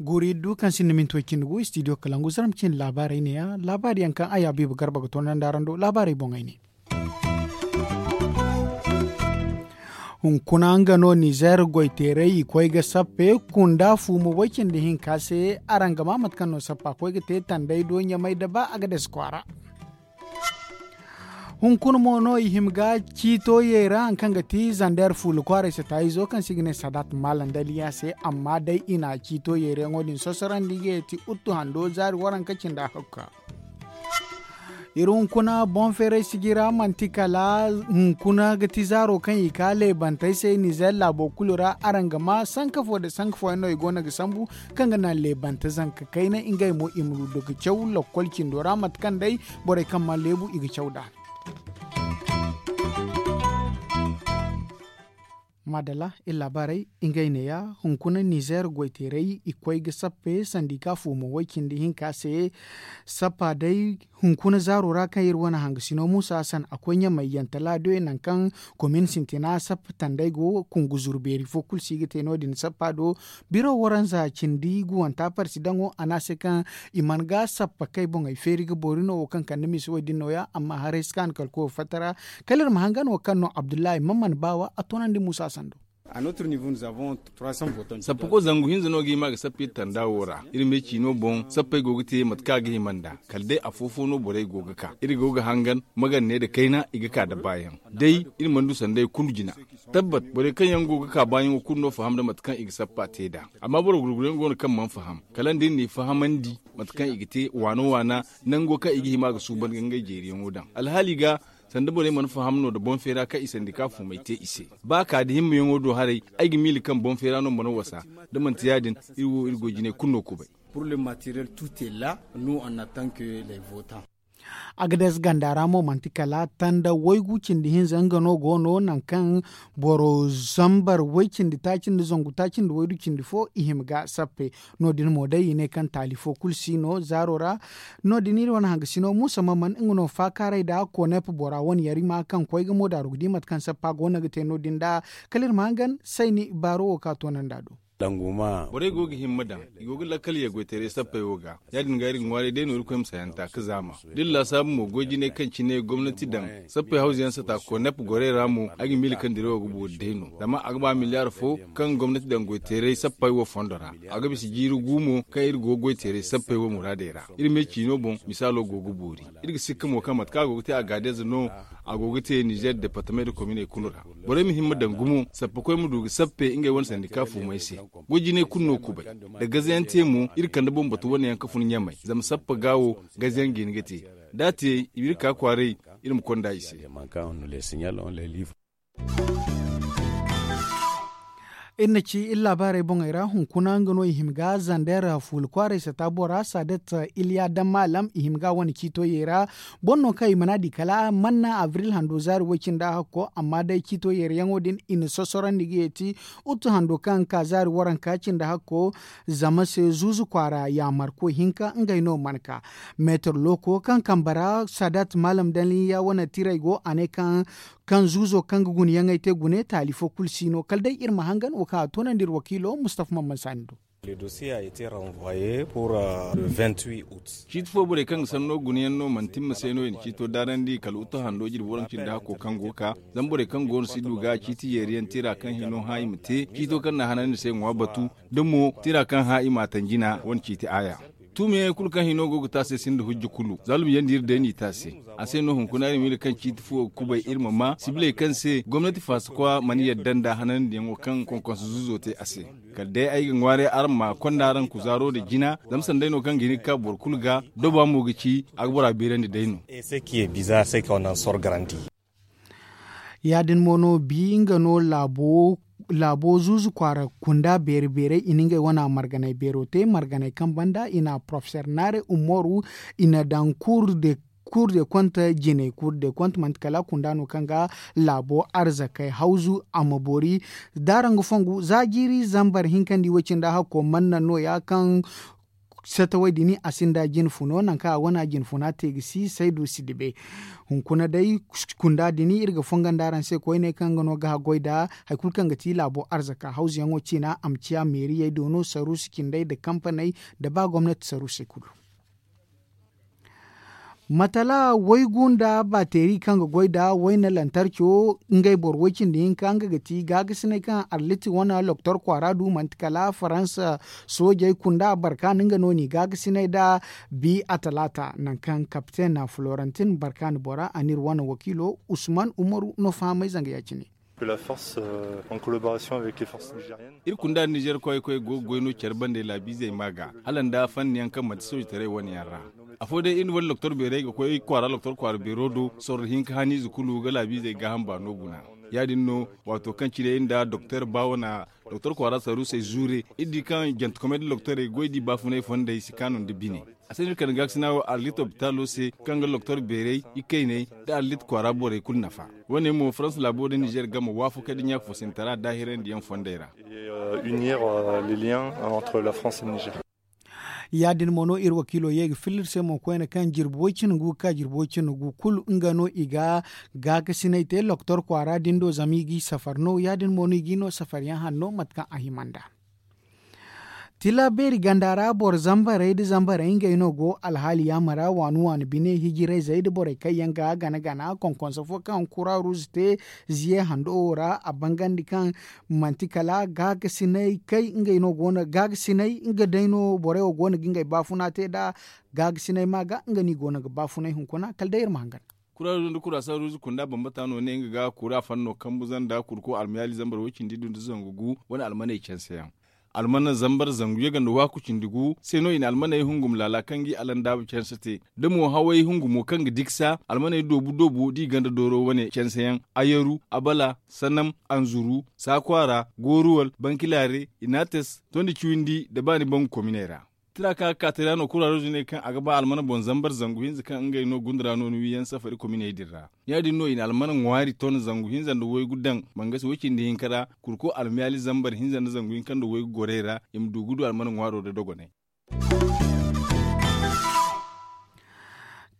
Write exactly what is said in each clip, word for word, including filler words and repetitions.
Guuri du kaŋ sinda minti way cindi gu istidiyo kalangu zarma cindi laabaarey ne- ya laabaari yaŋ kaŋ a yaabiiba garba ga toonandi araŋ do laabaarey boŋey ne. Hunkuna nga no nizeer goyteerey i koy ga sappe kunda fuuma way cindi hinka se. Araŋ ga maa mate kaŋ no sappa koy ga te tanday do ɲamay da ba a ga dasi kwaara. Hunkuna mo no i hima ga ciito yeera hari kaŋ ga ti zander fuula kwaaray sata izo kaŋ se i ga ne sadat maalam daliya se. Amma day i na ciito yeerayaŋo din sosorondi ga ye ti uttu hando zaari waranka cindi a hakka. Iri hunkuna boŋ feeray sijira manti kala hunkuna ga ti zaaro kaŋ i ka leebantey se nizeer laabo kulu ra araŋ ga ma sanka fo nda sanka fooyaŋ no i go no ga sambu kaŋ ga naŋ leebante zanka kayna ngey mo i ma du ga caw lakkol cindo ra mate kaŋ day borey kaŋ mana leebu i ga caw nd'a. Maadalla iri laabaarey ngey neeya hunkuna nizeer goyteerey i koy ga sappe sandika fuumo way cindi hinka se. Sappa day hunkuna zaaro ra kaŋ iri wane hangasino muusa hasan a koy ɲamay yantala doy nangu kaŋ komin sintina sappa tanday go kungu zuru beeri fo kulu si ga te no- din sappa do. Biro waranza cindi guwanta parsi daŋo a ne a se kaŋ i mana ga sappa kay boŋey feeri ga boori no wo kaŋ kande misa wo- din nooya amma haray si kaanu kala koyo fatta ra. Kala iri ma hangan wo kaŋ no abdullahi man mana baawa a toonandi muusa sando. Sappa koy zangu hinza no ga hima ga sappa iri tanda wo ra iri me ciino boŋ sappey go ga te mate kaŋ a ga hima nd'a. Kala day afo-fo no borey go ga ka iri go ga hangan maganne nda kayna i ga ka nda baayaŋ. Day iri mana du sanday kulu jina. Tabbat borey kaŋ yaŋ go ga ka baayaŋo kulu no faham nda mate kaŋ i ga sappa te nd'a. Amma boro gurguruyaŋ go no kaŋ mana faham kala nda iri n'i fahamandi mate kaŋ i ga te waana-waana nango kaŋ i ga hima ga suuban ga ngey jeeriyaŋo daŋ alhaali ga. Sanda borey mana faham no nda boŋ feera kaŋ i sandika fuumey te i se. Ba ka nda himmayaŋo do haray ay ga miila kaŋ boŋ feera no mana wasa. Da manti ya- din iri wo iri goy jinay kulu no kubay. Pour le materiel tout est la. Nous on attend que les votants. Agades ganda ra mo manti kala tanda waygu cindi hinza nga no go no nangu kaŋ boro zambar way cindi taaci nda zangu taaci nda waydu cindi fo i hima ga sappe. No- din mo day i ne kaŋ taali fo kulu si no zaaro ra. No- din iri wane hangasino muusa mamman nga no faakaaray nda konep bora wane yarima kaŋ koy ga mo daaru ga di mate kaŋ sappa go no ga te no- din nd'a. Kala iri ma hangan sayni baaro wo ka toonandi a do. Borey go ga himma daŋ i go ga lakkal yaggoytaray sappey wo ga. Ya- din ga iri ga ŋwaaray day no irkoy ma sayanta ga zaama da iri laasaabu mo goy jinay kaŋ cine gomnati daŋ sappey hawza yaŋ sata konep gorey ra mo ay ga miila kaŋ diray wo ga boori day no zama a ga ba miliyaar fo kaŋ gomnati daŋ goyteeray sappey wo fondo ra. A ga bisa jiiri gu mo kaŋ iri go goyteeray sappey wo muraadey ra. Iri me ciino boŋ misaalo go ga boori. Iri ga sikka mo kaŋ mate kaŋ a go ga te a gaadeza no a go ga te nizeer departamey nda kominey kulu ra. Borey ma himma daŋ gumo sappakoy ma du ga sappe ngey wane sandika fuumey se. Goy jinay kulu no kubay. Da gazayaŋ te mo iri kande boŋ batu wane yaŋ ga fun ɲamay zama sappa ga wo gazayaŋ ga hin ga te. Da a te i ma iri ka kwaaray iri ma konda i se. Iri na ci iri laabaarey boŋey ra hunkuna nga no i hima ga zander fuula kwaaray sata bora sadet iliya dammalam i hima ga wane ciito yeera. Boro no kaŋ i mana di kala manna abril hando zaari way-cindi a hakko amma day ciito yeerayaŋo din i na sosorandi ga yeeti. Utu hando kaŋ ka zaari waranka cindi hakko zama se zuuzu kwaara yaamarko hinka ngey no mana ka. Meetar looko kaŋ kambe ra sadat maalam danliya wane tiray go a ne kaŋ kaŋ zuuzo kaŋ ga gunayaŋey te gune taali fo kulu si no kala day iri ma hangan wo kaŋ a toonandi iri wakiilo mustafa mamman saani do. Ciiti fo borey kaŋ ga sanno gunayaŋ no manti ni ma se no i na ciito daarandi kala utu hando jirbi waranka cindi hakko kaŋ go ga ka. Zama borey kaŋ go no si du ga ciiti yeeriyaŋ tira kaŋ hino hã i ma te ciito kaŋ na hanandi se ŋwa batu da mo tira kaŋ hã i m'a taŋ jina wane ciiti aaya. Tuumiyaŋey kulu kaŋ hino go ga te a se sinda hujja kulu zalum yaŋ da iri day n'i te a se. A se no hunkuna iri ma iri kaŋ ciiti fuwo ga kubay iri ma maa sibiley kaŋ se gomnati faasakwa mana yadda nda hanandiyaŋo kaŋ konkonso zuuzo te a se. Kala day ay ga ŋwaaray araŋ ma konda araŋ kuzaaro nda jina zama sanday no kaŋ ga hin ga ka boro kulu ga doba mo ga ci a ga bora beerandi day no. Ya- din mo no bi nga no laabo zuuzu kwaara kunda beeri beerey i na ngey wana marganey beero te marganey kaŋ banda i na porofeser naare ummoru i na daŋ kuur de konte jiney kuur de konte manti kala kunda no kaŋ ga laabo arzakey hawzu a ma boori. Daarangu fongu za jiiri zambar hinkandi way-cindi a hakko manna nooya kaŋ Setawey din a sinda jinfuno nangu kaŋ a wane a jinfuna te ga si saydu si dibe. Hunkuna day, kunda din iri ga fonga nda araŋ se koyne kaŋ nga no ga haggoy nda hari kulu kaŋ ga ti laabo arzaka hawzuyaŋo ciina a ma ciya meeriyey do no saruusu cindey nda kampaney nda ba gomnati saruusey kulu. Matala waygu nda bateeri kaŋ ga goy nda wayna lantarco ngey boro way cindi hinka nga ga ti gaagasinay kaŋ arlit wane loktor kwaara du manti kala faransa soojey kunda barkaani nga no n'i gaagasinay nda bi a talaata nangu kaŋ kapiten florentin barkaani bora a n'iri wane wakiilo usman umaru no fahamay zanga ya- cine. Iri kunda nda nizer koyey koy go ga goy no care bande laabiizey ma ga hala nda fanni yaŋ kaŋ manti soojitaray wane yaŋ ra. Afo day iri na wane loktor beerey ga koy kwaara loktor kwaara beero do sorro hinka haniize kulu ga laabiizey gaaham baano guna. Ya- din no waato kaŋ cine iri nda doktor baawana doktor kwaara saruusey zuure iri di kaŋ jantekomey nda loktorey goy di baafunay fondey si kaanu nda bine. A se no iri kande gaakasina wo arlit lopitaalo se kaŋ ga loktor beerey ikayney nda arlit kwaara borey kulu nafa. Wo- ne mo farans laabo nda nizer game waafakey nda ɲaafosintara daahirandi yaŋ fondey ra. Ya- din mo no iri wakiilo ye ga filla iri se mo koyne kaŋ jirbi way cine gu ga ka jirbi way cine gu kulu nga no i ga gaakasinay te loktor kwaara din do zama i g'i safar no ya- din mo no i g'i no safar yaŋ hanno mate kaŋ a hima nda. Tila beeri ganda ra boro zambarey nda zambarey ngey no go alhaali yaama ra waani waani bine hijirayzey nda borey kaŋ yaŋ ga gana gana konkonso fo kaŋ kura ruuzu te ziye hando wo ra a bangandi kaŋ manti kala gaagasinay kay ngey no go no gaagasinay nga day no borey wo go no ga ngey baafuna te nd'a. Gaagasinay ma ga nga no i go no ga baafunay hunkuna kala day iri ma hangan. Kura ruuzu nda kura saruuzu kunda bambata no ne nga ga kura fanno kambu zanda kurko almayaali zambar way cindi du nda zangu gu wane almaney canse yaŋ. Almana zambar zangu yaŋ ganda waaku cindi gu se no i na almaney hungum laala kaŋ ga i alandaabu canse te da mo haway hungumo kaŋ ga diksa almaney doobu doobu da i ganda dooro wane canse yaŋ, ayaru, abala, sanam, anzuru, saakwaara, gooruwal, bankilaare, inates, tondi ciwindi nda baani bangu kominey ra. Tira kaŋ a ga ka tira no kuraaroozu ne kaŋ a ga ba almana boŋ zambar zangu hinza kaŋ ngey no gunda ra no ni wiyaŋ safari kominey din ra. Ya- din no i na almana ŋwaari ton zangu hinza nda waygu daŋ bangasi way cindi hinka ra kurko almiyaali zambar hinza nda zangu hinka nda waygu gorey ra i ma du ga du almana ŋwaaro da dogonay.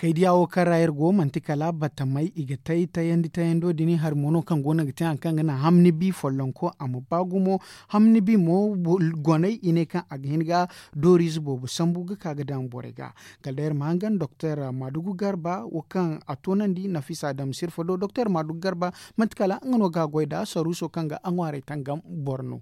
Kaydiya wo kaŋ ra iri go manti kala batamey i ga tay tayandi tayando din hari mo no kaŋ go no ga te hari kaŋ ga naŋ hamni bi follonko a ma ba gumo. Hamni bi mo goney i ne kaŋ a ga hin ga dooriize boobo sambu ga ka ga daŋ borey ga. Kala day iri ma hangan doktor maadugu garba wo kaŋ a toonandi nafisa dam sirfa do doktor maadugu garba manti kala nga no ga a goy nd'a saruuso kaŋ ga a ŋwaarey tangam boro no.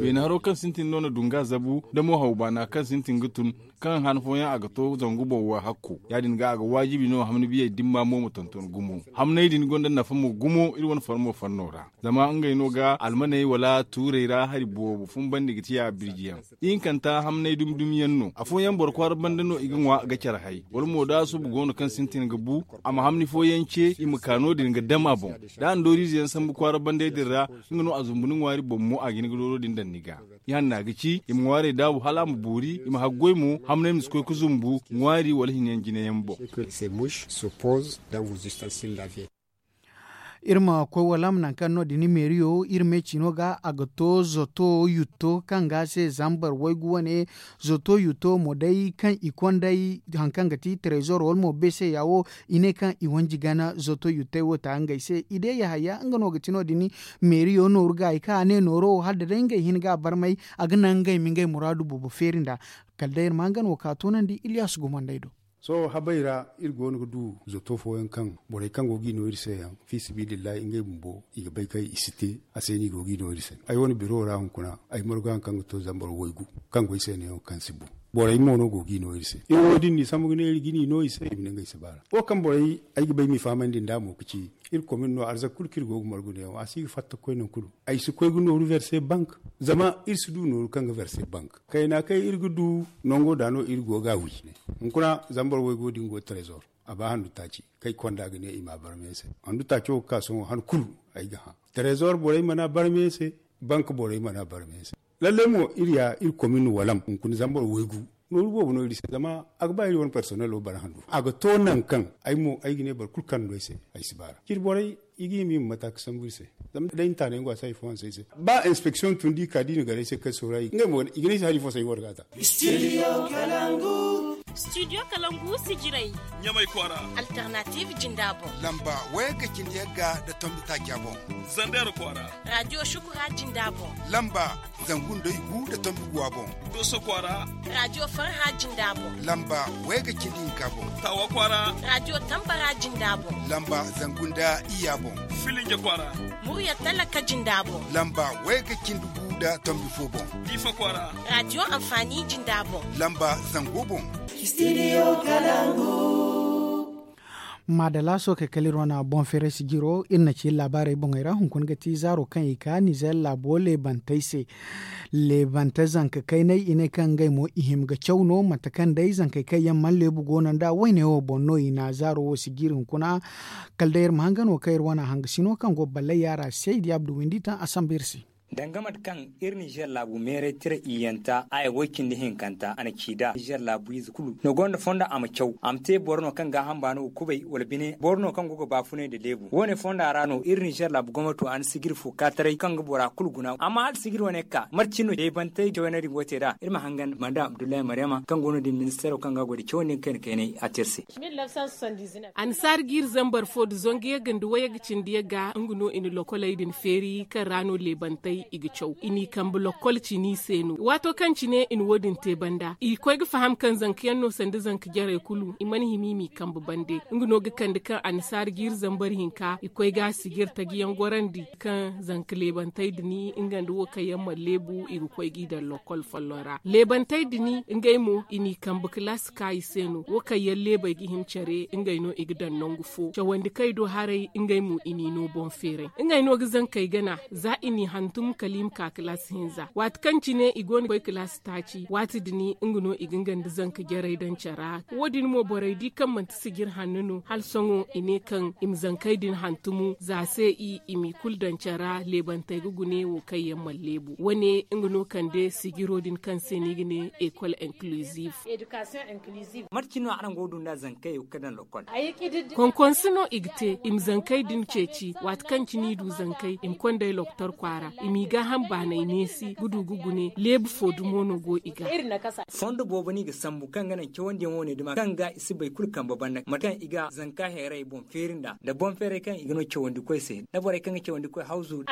Beene haro kaŋ sintin no na du nga zabu da mo haw baana kaŋ sintin ga tun kaŋ han fooyaŋ a ga to zangu boŋ wo hakko ya- din ga a ga waajibi no hamni biyey dimma mo ma tonton gumo. Hamney din gonda nafa mo gumo iri wane farmo fanno ra zama ngey no ga almaney wala tuurey ra hari boobo fumbandi ga ciya birjiyaŋ. Ihinkanta hamnay dumi dumi yaŋ no afooyaŋ boro kwaara banda no i ga ŋwa ga care hay wala mo da subu go no kaŋ sintin ga bu a ma hamni fooyaŋ ce i ma ka no- din ga dam a boŋ. Da a na dooriize yaŋ sambu kwaara bandey din ra nga no a zumbu ni ŋwaari boŋ mo a ga hin ga dooro din daŋ ni ga. I hanna ga ci i ma ŋwaarey daabu hala a ma boori i ma haggoy mo hamnay ma si koy ga zumbu ŋwaari wala hinyaŋ jine yaŋ boŋ. Iri ma koy walam nangu kaŋ no- din meeriyo iri me ciino ga a ga to zoto yutto kaŋ ga se zambar waygu wane. Zoto yutto mo day kaŋ i konday hari kaŋ ga ti trezor wala mo beseya wo i ne kaŋ i wanji gana zoto yuttey wo ta ngey se i de yahaya nga no ga ti no- din. Meeriyo nooru ga i kaŋ a ne nooro wo hala da day ngey hin ga a barmay a ga naŋ ngey ma ngey muraadu boobo feeri nd'a. Kala day iri ma nga no ka toonandi iliyas gumandey do. Sohõ habey ra iri go no ga du zoto fooyaŋ kaŋ borey kaŋ go ga i no iri se yaŋ fiisabilillahi ngey bumbo i ga bay kaŋ i si te. A se no i go ga i no iri se ay wane biro ra hunkuna ay margu haŋ kaŋ ga to zambar waygu kaŋ go ay se neewo kaŋ si bu. Borey mo no go ga i no iri se iri wo da iri n'i sambu ga ne iri ga ni no i se i ma ne ngey si baara wo kaŋ borey ay ga bay m'i fahamandi nd'a mo ga ci iri komin no arzak kulu kaŋ iri go ga margu neewo a si ga fatta ga koy nangu kulu. Ay si koy ga nooru verse bank zama iri si du nooru kaŋ ga verse bank kayna kaŋ iri ga du nango da no iri go ga a wi. Hunkuna zambar waygo din go trezor a ba handu taaci kaŋ ay konda ga ne i ma a barmay se. Handu taaco ga ka sohõ han kulu ay ga hã trezor borey mana a barmay se. Bank borey mana a barmay se. Lallai mo iri ya iri komin walam hunkuna zambar waygu nooru boobo no iri se zama a ga ba iri wane personnelo bara handu a ga to nangu kaŋ ay mo ay ga ne boro kulu kaŋ no ay se ay si baara ciri borey. i ga hima i ma mata ga sambu iri se. Zama day ni taanay nga a si hari fo hanse ay se. Ba inspeksiyoŋ tun da i ka da i na gar ay se kaŋ sooru ay ngey mo i ga ne ay se hari fo se ay warga ta. Studio kalangu sijiray. Ɲamay kwaara. Alternative jinda boŋ. Lamba wayagga cindi yagga nda tombi taaca boŋ. Zandeer kwaara. Radio shukura jinda boŋ. Lamba zangu nda igu nda tombi guwa boŋ. Dooso kwaara. Radio farha jinda boŋ. Lamba wayagga cindi hinka boŋ. Taawa kwaara. Radio tambara jinda boŋ. Lamba zangu nda iyya boŋ. Filinja kwaara. Murya talaka jinda boŋ. Lamba wayagga cindi gu nda tombi fo boŋ. Diifa kwaara. Radio anfaani jinda boŋ. Lamba zango boŋ. Studio kalangu. Maadala sookey kala iri wane boŋ feeray sijiro iri na ci iri laabaarey boŋey ra hunkuna ga ti zaaro kaŋ i ka nizeer laabo leebantey se. Leebante zanka kaynay i ne kaŋ ngey mo i hima ga caw no mate kaŋ day zankey kaŋ yaŋ mana leebu go no nd'a wayne wo boŋ no i na zaaro wo sijiri hunkuna. Kala day iri ma hangan wo kaŋ iri wane hangasino kaŋ go ballay yaara se i di abdu windi taŋ a sambu iri se. Danga mate kaŋ iri nizeer laabu meeray tira iyyanta aya way cindi hinkanta a na ci nd'a nizeer laabu ize kulu no gonda fondo a ma caw a ma te boro no kaŋ gaaham baano ga kubay wala bine boro no kaŋ go ga baafunay nda leebu wo- ne fonda ra no iri nizeer laabu gomnato a na sigiri fo ka taray kaŋ ga bora kulu guna amma hala sigiri wane ga ka mate cine no deebantey cawayna din go te nd'a iri ma hangan manda abdullahi maryama kaŋ go no- din ministeero kaŋ ga a goy nda cawandi kaŋ i na kaynay a te iri se. Annasaara ga iri zambar fo nda zangu yagga nda wayagga cindi yagga nga no i na lokkoley din feeri kaŋ ra no leebantey i ga caw i n'i kambe lokkol cini se no waato kaŋ cine i na wo- din te banda i koy ga faham kaŋ zanka yaŋ no sanda zanka jarey kulu i mana hima i m'i kambe bande nga no ga kande kaŋ annasaara ga iri zambar hinka i koy ga a sijiri taji yaŋ gorandi kaŋ zanka leebantey din nga nda wo kaŋ yaŋ mana leebu i ga koy g'i daŋ lokkol folloŋ ra leebantey din ngey mo i n'i kambe kalaasi ka i se no wo kaŋ yaŋ leebey ga hima care ngey no i ga daŋ nangu fo cawandi kaŋ i du haray ngey mo i n'i no boŋ feeray ngey no ga zankey gana za i n'i hantum kala i ma ka kalaasi hinza waati kaŋ cine i go no ga koy kalaasi taaci waati din nga no i ga nga nda zanka jarey daŋ cara wo- din mo borey di kaŋ manti sijiri hanno no hala sohõ i ne kaŋ i ma zankey din hantumu za se i i m'i kulu daŋ cara leebantey ga gune wo kaŋ yaŋ mana leebu wo- ne nga no kande sijiro din kaŋ se no i ga ne ekol inkluziv. Mate cine no araŋ go ga du nd'a zankey wo ga daŋ lokkol? Konkonse no i ga te i ma zankey din ceeci waati kaŋ cine i du zankey i ma konda ay loktor kwaara i m'i gaaham baanay neesi ga du ga gune leebu fo dumo no go i ga. Fondo boobo no i ga sambu kaŋ ga naŋ cawandiyaŋ wo- ne duma kaŋ ga i si bay kulu kambe banda mate kaŋ i ga zanka heeray boŋ feeri nd'a nda boŋ feeray kaŋ i ga no cawandi koy se nda borey kaŋ ga cawandi koy hawzu.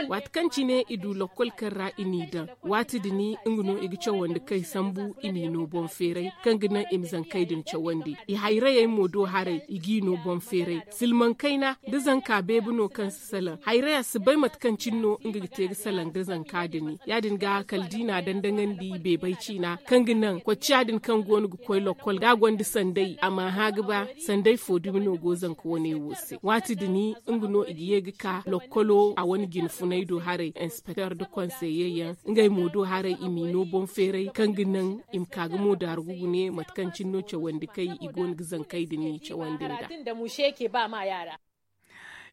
Waati kaŋ cine i du lokkol kaŋ ra i n'i daŋ waati din nga no i ga cawandi kay sambu i m'i no boŋ feeray kaŋ ga naŋ i ma zankey din cawandi i hayrayey mo do haray i g'i no boŋ feeray silmaŋ kayna da zanka beebe no kaŋ si salaŋ hayraya si bay mate kaŋ cine no nga ga te ga salaŋ da zanka din ya- din ga kala da i n'a daŋ daŋandi beebay ciina kaŋ ga naŋ kocciya din kaŋ go no ga koy lokkol da a gonda sanday a m'a hã ga ba sanday fo dumi no go zanka wane wo se waati din nga no i ga ye ga ka lokkolo a wane jine funay do haray inspekter nda konseye yaŋ ngey mo do haray i m'i no boŋ feeray kaŋ ga naŋ i ma ka ga mo daaru ga gune mate kaŋ cine no cawandi kay i go no ga zankey din i cawandi nd'a.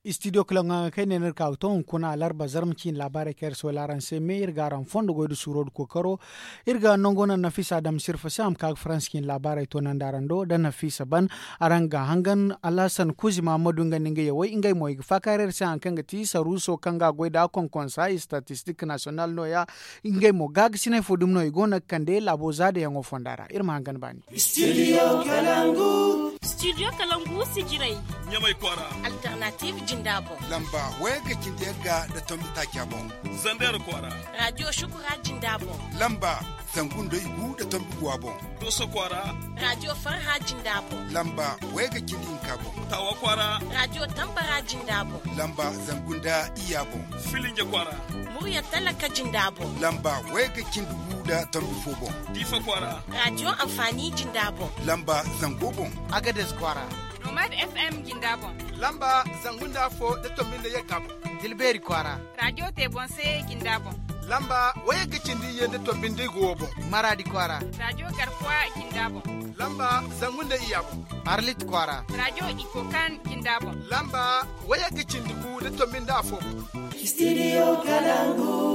Istidiyo kala ŋwa kay ne no iri ka ga to hunkuna alarba zarma ciine laabaarey kaŋ iri si wayla araŋ se me iri ga araŋ fondo goy nda suuro nda kookaro. Iri ga nango naŋ nafisa dam sirfa se a ma ka ga faransa ciine laabaarey toonandi araŋ do da nafisa ban. Araŋ ga hangan alhasan kuzi mahammadu nga nda nga yawey ngey mo i ga faakaaray iri se hari kaŋ ga ti saruuso kaŋ ga a goy nd'a konkonsa istatistik nasiyonal no- ya. Ngey mo gaagasinay fo dumi no i go no ga kande laabo zaadayaŋo fonda ra iri ma hangan baani. Studio kalangu. Studio kalangu sijirey. Ɲamay kwaara. Alternative jinda boŋ. Lamba wayagga cindi yagga nda tombi taaca boŋ. Zandeer kwaara. Radio shukura jinda boŋ. Lamba zangu nda igu nda tombi guwa boŋ. Dooso kwaara. Radio farha jinda boŋ. Lamba wayagga cindi hinka boŋ. Taawa kwaara. Radio tambara jinda boŋ. Lamba zangu nda iyya boŋ. Filinja kwaara. Murya talaka jinda boŋ. Lamba wayagga cindi gu nda tombi fo boŋ. Diifa kwaara. Radio anfaani jinda boŋ. Lamba zango boŋ. Agades kwaara. Nomad F M jinda boŋ. Lamba zangu nda afo nda tombi nda yagga boŋ. Tilbeeri kwaara. Radio te boŋ se jinda boŋ. Lamba wayagga cindi iyye nda tombi nda igu wo boŋ. Maraadi kwaara. Radio garkuwa jinda boŋ. Lamba zangu nda iyya boŋ. Arlit kwaara. Radio ikokan jinda boŋ. Lamba wayagga cindi gu nda tombi nda afo boŋ. Studio kalangu.